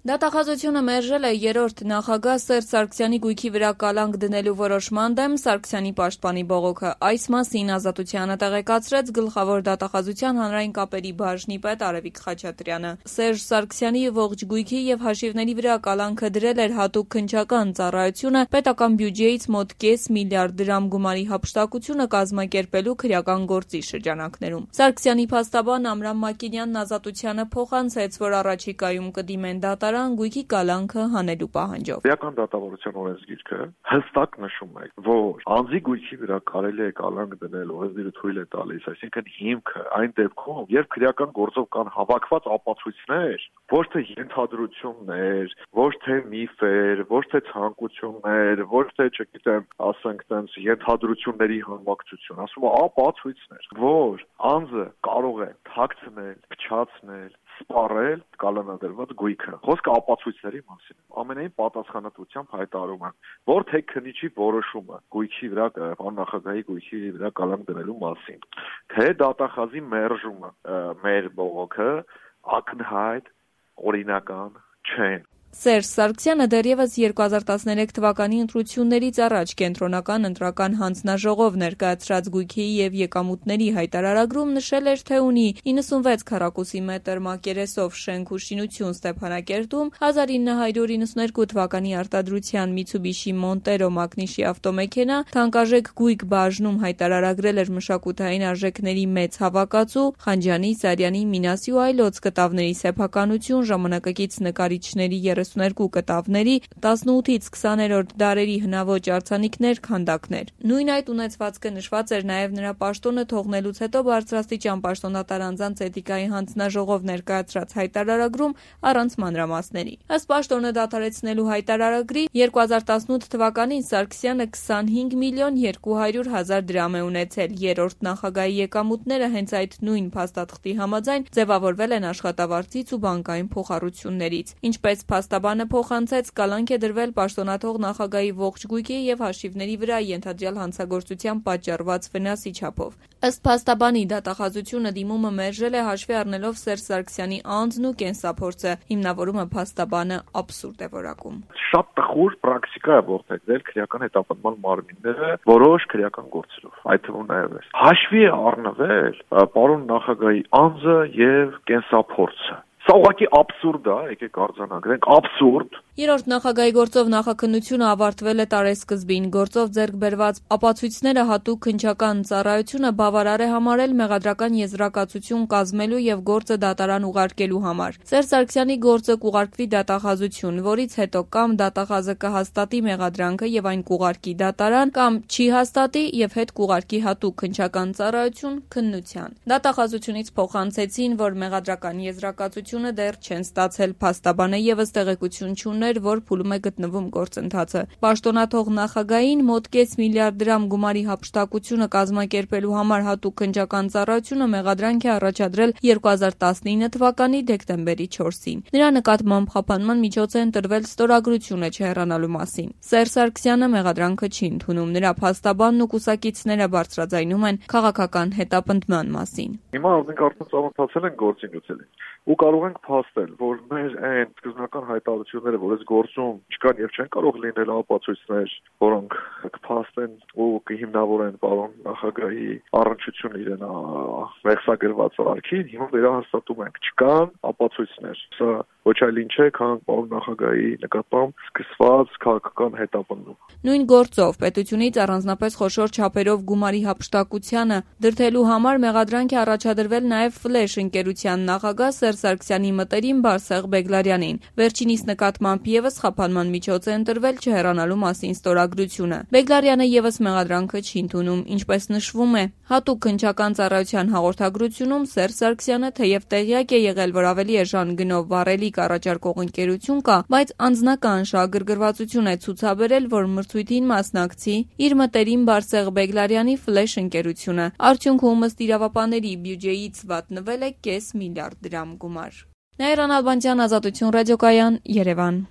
Դատախազությունը մերժել է երրորդ նախագահ Սերժ Սարգսյանի գույքի վրա կալանք դնելու որոշման դեմ Սարգսյանի պաշտպանի բողոքը։ Այս մասին Ազատությանը տեղեկացրեց գլխավոր դատախազության հանրային կապերի բաժնի պետ Արևիկ Խաչատրյանը։ Սերժ Սարգսյանի ողջ գույքի եւ հաշիվների վրա կալանքը դրել էր հատուկ քննչական ծառայությունը պետական բյուջեից մոտ կես միլիարդ դրամ գումարի հափշտակությունը կազմակերպելու քրեական գործի շրջանակներում։ Սարգսյանի փաստաբան Ամրամ Մակինյանն Ազատությանը փոխանցեց, որ առաջիկայում կդիմեն դատարան գույքի կալանքը հանելու պահանջով։ Քրեական դատավարության օրենսգիրքը հստակ նշում է, որ անձի գույքի վրա կարելի է կալանք դնել, օրենսգիրը թույլ է տալիս, այսինքն հիմքը այն դեպքում, երբ քրեական գործով կան հավաքված ապացույցներ, ոչ թե ենթադրություններ, ոչ թե միֆեր, ոչ թե ցանկություններ, ոչ թե, չգիտեմ, ասենք տենց ենթադրությունների համակցություն, ասում է ապացույցներ, որ անձը կարող է թաքցնել, փչացնել, սպառել կալանադրված գույքը։ Խոսքը ապացույցների մասին։ Ամենայն պատասխանատվությամբ հայտարարում եմ, որ թե քննիչի որոշումը գույքի վրա, աննախագահի գույքի վրա կալանք դնելու մասին, թե դատախազի մերժումը մեր բողոքը ակնհայտ օրինական չեն։ Սերժ Սարգսյանը դեռևս 2013 թվականի ընտրություններից առաջ կենտրոնական ընտրական հանձնաժողով ներկայացրած գույքի եւ եկամուտների հայտարարագրում նշել էր, թե ունի 96 քառակուսի մետր մակերեսով շենք ու շինություն Ստեփանակերտում, 1992 թվականի արտադրության Mitsubishi Montero մակնիշի ավտոմեքենա, թանկարժեք գույք բաժնում հայտարարագրել էր մշակութային արժեքների մեծ հավաքածու, Խանջյանի, Սարյանի, Մինասի ու այլոց կտավների սեփականություն, ժամանակակից նկարիչների 32 կտավների, 18-ից 20-րդ դարերի հնաոճ արձանիկներ, քանդակներ։ Նույն այդ ունեցվածքը նշված էր նաև նրա պաշտոնը թողնելուց հետո բարձրաստիճան պաշտոնատար անձանց էթիկայի հանձնաժողով ներկայացրած հայտարարագրում առանց մանրամասների։ Ըստ պաշտոնը դադարեցնելու հայտարարագրի 2018 թվականին Սարգսյանը 25 միլիոն 200 հազար դրամ է ունեցել։ Երրորդ նախագահի եկամուտները հենց այդ նույն փաստաթղթի համաձայն ձևավորվել են աշխատավարձից ու բանկային փոխառություններից։ Ինչպես փաստաբանը փոխանցեց, կալանք է դրվել պաշտոնաթող նախագահի ողջ գույքի եւ հաշիվների վրա ենթադրյալ հանցագործության պատճառված վնասի չափով։ Ըստ փաստաբանի, դատախազությունը դիմումը մերժել է հաշվի առնելով Սերժ Սարգսյանի անձն ու կենսափորձը։ Հիմնավորումը փաստաբանը աբսուրդ է որակում։ Շատ տխուր պրակտիկա է որդեգրել քրեական հետապնդման մարմինները որոշ քրեական գործերով, այդ թվում նաև է։ Հաշվի է առնվել պարոն նախագահի անձը եւ կենսափորձը։ Սա ուղղակի աբսուրդ է, եկեք արձանագրենք, աբսուրդ։ Երրորդ նախագահի գործով նախաքննությունը ավարտվել է տարեսկզբին։ Գործով ձեռք բերված ապացույցները հատուկ քննչական ծառայությունը բավարար է համարել մեղադրական եզրակացություն կազմելու եւ գործը դատարան ուղարկելու համար։ Սերժ Սարգսյանի գործը կուղարկվի դատախազություն, որից հետո կամ դատախազը կհաստատի մեղադրանքը եւ այն կուղարկի դատարան, կամ չի հաստատի եւ հետ կուղարկի հատուկ քննչական ծառայություն քննության։ Դատախազությունից փոխանցեցին, որ մեղադրական եզրակացությունը դեռ չեն ստացել։ Փաստաբանը եւս տեղեկություն չունի, որ փուլում է գտնվում գործընթացը։ Պաշտոնաթող նախագահին մոտ կես միլիարդ դրամ գումարի հափշտակությունը կազմակերպելու համար հատուկ քննչական ծառայությունը մեղադրանք է առաջադրել 2019 թվականի դեկտեմբերի 4-ին։ Նրա նկատմամբ խափանման միջոց է ընտրվել ստորագրությունը չհեռանալու մասին։ Սերժ Սարգսյանը մեղադրանքը չի ընդունում։ Նրա փաստաբանն ու կուսակիցները բարձրաձայնում են քաղաքական հետապնդման մասին։ Հիմա մենք արդեն ծանոթացել ենք գործին գուցելի ու կարող ենք փաստել, որ մեր այն սկզբնական հայտարարությունները, որ այս գործում չկան եւ չեն կարող լինել ապացույցներ, որոնք կփաստեն ու կհիմնավորեն պարոն նախագահի առնչությունը իրեն մեղսագրված արարքին, հիմա վերահաստատում ենք, չկան ապացույցներ։ Սա ոչ այլ ինչ է, քան պարոն նախագահի նկատմամբ սկսված քաղաքական հետապնդում։ Նույն գործով պետությունից առանձնապես խոշոր չափերով գումարի հափշտակությանը դրդելու համար մեղադրանք է առաջադրվել նաև Ֆլեշ ընկերության նախագահ Սերժ Սարգսյանի մտերիմ Բարսեղ Բեգլարյանին։ Վերջինիս նկատմամբ եւս խափանման միջոց է ընտրվել չհեռանալու մասին ստորագրությունը։ Բեգլարյանը եւս մեղադրանքը չի ընդունում, ինչպես նշվում է։ Հատուկ քննչական ծառայության հաղորդագրությունում Սերժ Սարգսյանը թեև տեղյակ է եղել, որ ավելի էժան գնով վառելիք առաջարկող ընկերություն կա, բայց անձնական շահագրգռվածություն է ցուցաբերել, որ մրցույթին մասնակցի իր մտերիմ Բարսեղ Բեգլարյանի Ֆլեշ ընկերությունը։ Արդյունքում ըստ իրավապահների բյուջեից վատնվել է կես միլիարդ դրամ գումար։ Նաիրա Նալբանդյան, Ազատություն ռադիոկայան, Երևան։